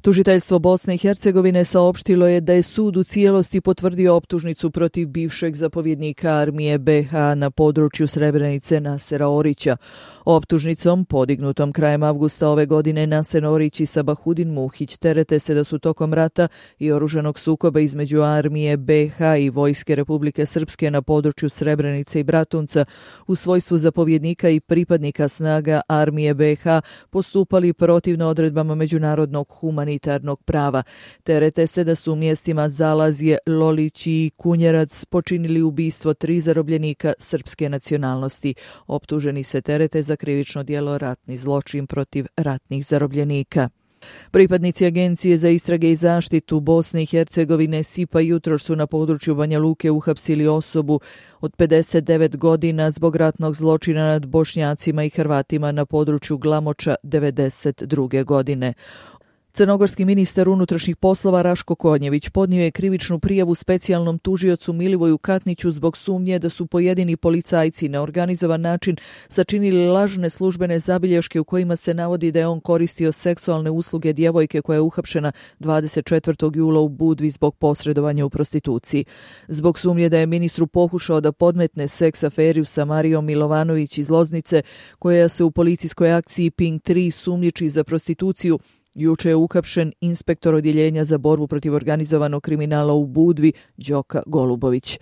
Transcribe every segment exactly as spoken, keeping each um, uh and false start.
Tužiteljstvo Bosne i Hercegovine saopštilo je da je sud u cijelosti potvrdio optužnicu protiv bivšeg zapovjednika armije be ha na području Srebrenice Nasera Orića. Optužnicom, podignutom krajem avgusta ove godine, Naser Orić i Sabahudin Muhić terete se da su tokom rata i oružanog sukoba između armije be ha i Vojske Republike Srpske na području Srebrenice i Bratunca u svojstvu zapovjednika i pripadnika snaga armije be ha postupali protivno odredbama međunarodnog humanitarnog prava. Terete se da su u mjestima Zalazje, Lolić i Kunjerac počinili ubistvo tri zarobljenika srpske nacionalnosti. Optuženi se terete za krivično djelo ratni zločin protiv ratnih zarobljenika. Pripadnici Agencije za istrage i zaštitu Bosne i Hercegovine SIPA jutros su na području Banja Luke uhapsili osobu od pedeset devet godina zbog ratnog zločina nad Bošnjacima i Hrvatima na području Glamoča devedeset druge godine. Crnogorski ministar unutrašnjih poslova Raško Konjević podnio je krivičnu prijavu specijalnom tužiocu Milivoju Katniću zbog sumnje da su pojedini policajci na organizovan način sačinili lažne službene zabilješke u kojima se navodi da je on koristio seksualne usluge djevojke koja je uhapšena dvadeset četvrtog jula u Budvi zbog posredovanja u prostituciji. Zbog sumnje da je ministru pokušao da podmetne seks aferiju sa Marijom Milovanović iz Loznice, koja se u policijskoj akciji Pink tri sumnjiči za prostituciju, juče je uhapšen inspektor odjeljenja za borbu protiv organizovanog kriminala u Budvi, Đoka Golubović.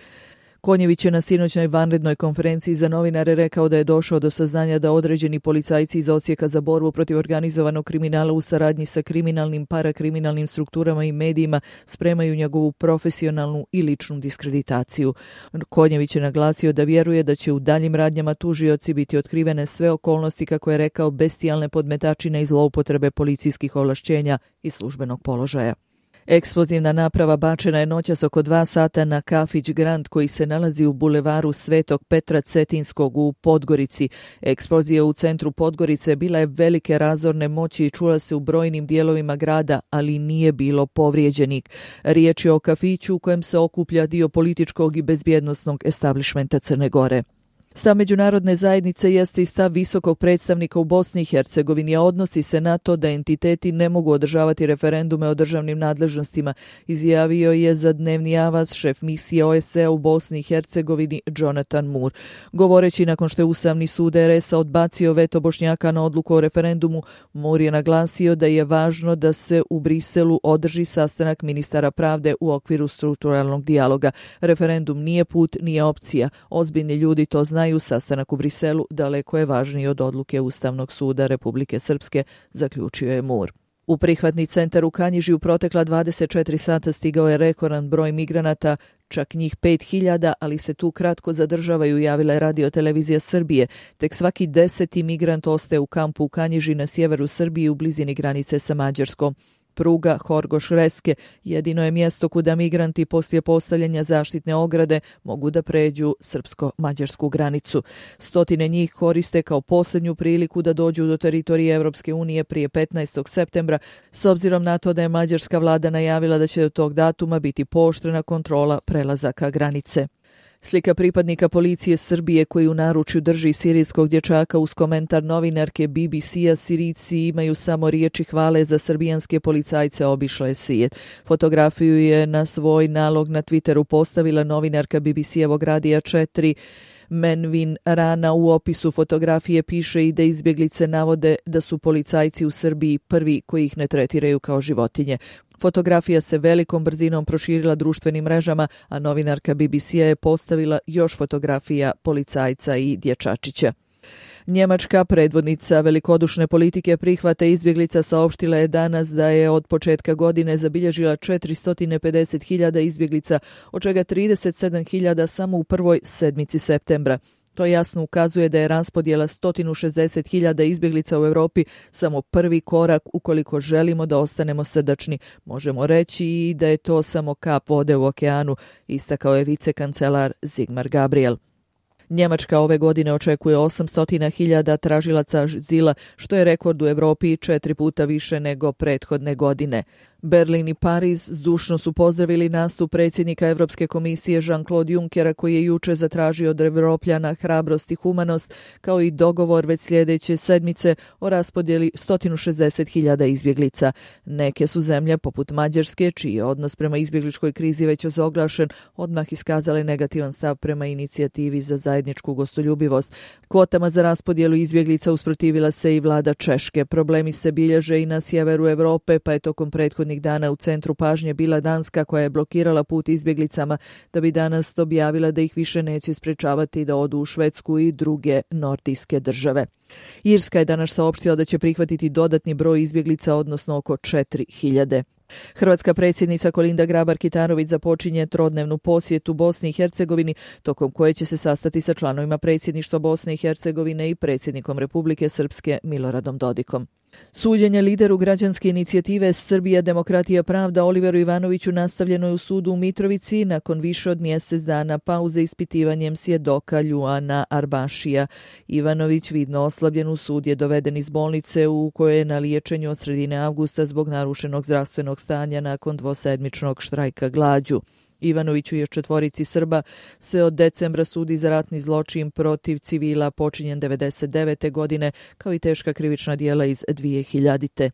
Konjević je na sinoćnoj vanrednoj konferenciji za novinare rekao da je došao do saznanja da određeni policajci iz Odsjeka za borbu protiv organizovanog kriminala u saradnji sa kriminalnim, parakriminalnim strukturama i medijima spremaju njegovu profesionalnu i ličnu diskreditaciju. Konjević je naglasio da vjeruje da će u daljim radnjama tužioci biti otkrivene sve okolnosti, kako je rekao, bestijalne podmetačine i zloupotrebe policijskih ovlašćenja i službenog položaja. Eksplozivna naprava bačena je noćas oko dva sata na kafić Grand koji se nalazi u bulevaru Svetog Petra Cetinskog u Podgorici. Eksplozija u centru Podgorice bila je velike razorne moći i čula se u brojnim dijelovima grada, ali nije bilo povrijeđenih. Riječ je o kafiću u kojem se okuplja dio političkog i bezbjednosnog establišmenta Crne Gore. Stav međunarodne zajednice jeste i stav visokog predstavnika u Bosni i Hercegovini, a odnosi se na to da entiteti ne mogu održavati referendume o državnim nadležnostima, izjavio je za dnevni avaz šef misije o es ce u Bosni i Hercegovini Jonathan Moore. Govoreći nakon što je Ustavni sud er es a odbacio veto Bošnjaka na odluku o referendumu, Moore je naglasio da je važno da se u Briselu održi sastanak ministara pravde u okviru strukturalnog dijaloga. Referendum nije put, nije opcija. Ozbiljni ljudi to znaju. Sastanak u Briselu daleko je važniji od odluke Ustavnog suda Republike Srpske, zaključio je Moore. U prihvatni centar u Kanjiži u protekla dvadeset četiri sata stigao je rekordan broj migranata, čak njih pet hiljada, ali se tu kratko zadržavaju, javila je Radio televizija Srbije. Tek svaki deseti migrant ostaje u kampu u Kanjiži na sjeveru Srbije u blizini granice sa Mađarskom. Pruga Horgoš-Reske jedino je mjesto kuda migranti poslije postavljanja zaštitne ograde mogu da pređu srpsko-mađarsku granicu. Stotine njih koriste kao posljednju priliku da dođu do teritorije Europske unije prije petnaestog septembra, s obzirom na to da je mađarska vlada najavila da će do tog datuma biti pooštrena kontrola prelazaka granice. Slika pripadnika policije Srbije koji u naručju drži sirijskog dječaka uz komentar novinarke be be ce-a Sirijci imaju samo riječi hvale za srbijanske policajce, obišla je svijet. Fotografiju je na svoj nalog na Twitteru postavila novinarka be be ce-evog Radija četiri. Menvin Rana u opisu fotografije piše i da izbjeglice navode da su policajci u Srbiji prvi koji ih ne tretiraju kao životinje. Fotografija se velikom brzinom proširila društvenim mrežama, a novinarka be be ce-a je postavila još fotografija policajca i dječačića. Njemačka predvodnica velikodušne politike prihvata izbjeglica saopštila je danas da je od početka godine zabilježila četiristo pedeset hiljada izbjeglica, od čega trideset sedam hiljada samo u prvoj sedmici septembra. To jasno ukazuje da je raspodjela sto šezdeset hiljada izbjeglica u Europi samo prvi korak ukoliko želimo da ostanemo srdačni. Možemo reći i da je to samo kap vode u okeanu, istakao je vicekancelar Sigmar Gabriel. Njemačka ove godine očekuje osamsto hiljada tražilaca azila, što je rekord u Europi četiri puta više nego prethodne godine. Berlin i Pariz zdušno su pozdravili nastup predsjednika Europske komisije Jean-Claude Junckera koji je juče zatražio od Evropljana hrabrost i humanost, kao i dogovor već sljedeće sedmice o raspodjeli sto šezdeset hiljada izbjeglica. Neke su zemlje, poput Mađarske, čiji je odnos prema izbjegličkoj krizi već ozoglašen, odmah iskazale negativan stav prema inicijativi za zajedničku gostoljubivost. Kvotama za raspodjelu izbjeglica usprotivila se i vlada Češke. Problemi se bilježe i na sjeveru Europe, pa je tokom prethodnih dana u centru pažnje bila Danska koja je blokirala put izbjeglicama da bi danas objavila da ih više neće sprečavati da odu u Švedsku i druge nordijske države. Irska je danas saopštila da će prihvatiti dodatni broj izbjeglica, odnosno oko četiri hiljade. Hrvatska predsjednica Kolinda Grabar-Kitarović započinje trodnevnu posjetu Bosni i Hercegovini, tokom koje će se sastati sa članovima predsjedništva Bosne i Hercegovine i predsjednikom Republike Srpske Miloradom Dodikom. Suđenje lideru građanske inicijative Srbija, demokratija, pravda Oliveru Ivanoviću nastavljeno je u sudu u Mitrovici nakon više od mjesec dana pauze ispitivanjem svjedoka Ljuana Arbašija. Ivanović, vidno oslabljen u sud, je doveden iz bolnice u kojoj je na liječenju od sredine avgusta zbog narušenog zdravstvenog stanja nakon dvosedmičnog štrajka glađu. Ivanoviću je četvorici Srba se od decembra sudi za ratni zločin protiv civila počinjen devedeset devete. godine, kao i teška krivična djela iz dvije hiljadite.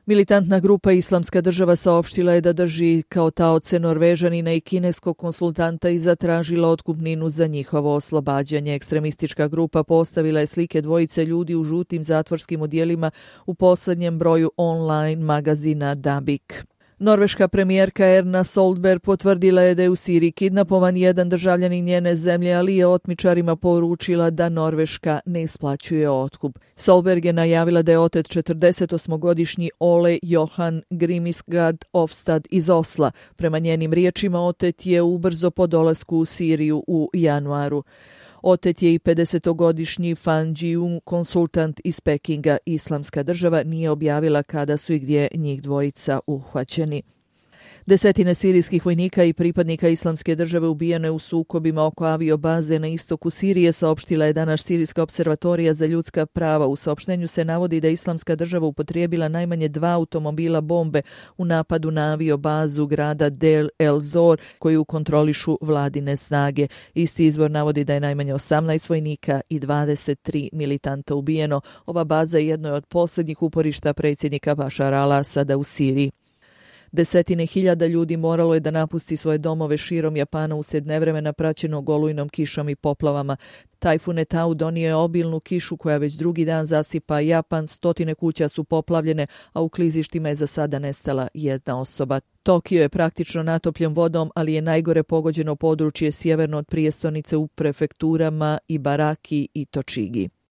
Militantna grupa Islamska država saopštila je da drži kao taoce Norvežanina i kineskog konsultanta i zatražila otkupninu za njihovo oslobađanje. Ekstremistička grupa postavila je slike dvojice ljudi u žutim zatvorskim odjelima u posljednjem broju online magazina Dabik. Norveška premijerka Erna Solberg potvrdila je da je u Siriji kidnapovan jedan državljanin njene zemlje, ali je otmičarima poručila da Norveška ne isplaćuje otkup. Solberg je najavila da je otet četrdesetosmogodišnji Ole Johan Grimisgard Ofstad iz Osla. Prema njenim riječima, otet je ubrzo po dolasku u Siriju u januaru. Otet je i pedesetogodišnji Fan Ji-un, konsultant iz Pekinga. Islamska država nije objavila kada su i gdje njih dvojica uhvaćeni. Desetine sirijskih vojnika i pripadnika Islamske države ubijene u sukobima oko aviobaze na istoku Sirije, saopštila je danas Sirijska observatorija za ljudska prava. U saopštenju se navodi da je Islamska država upotrijebila najmanje dva automobila bombe u napadu na aviobazu grada Del El Zor, koju kontrolišu vladine snage. Isti izvor navodi da je najmanje osamnaest vojnika i dvadeset tri militanta ubijeno. Ova baza je jedno od posljednjih uporišta predsjednika Bašara al-Asada u Siriji. Desetine hiljada ljudi moralo je da napusti svoje domove širom Japana uslijed nevremena praćenog olujnom kišom i poplavama. Tajfun Etau donio je obilnu kišu koja već drugi dan zasipa Japan, stotine kuća su poplavljene, a u klizištima je za sada nestala jedna osoba. Tokio je praktično natopljen vodom, ali je najgore pogođeno područje sjeverno od prijestolnice u prefekturama Ibaraki i Tochigi.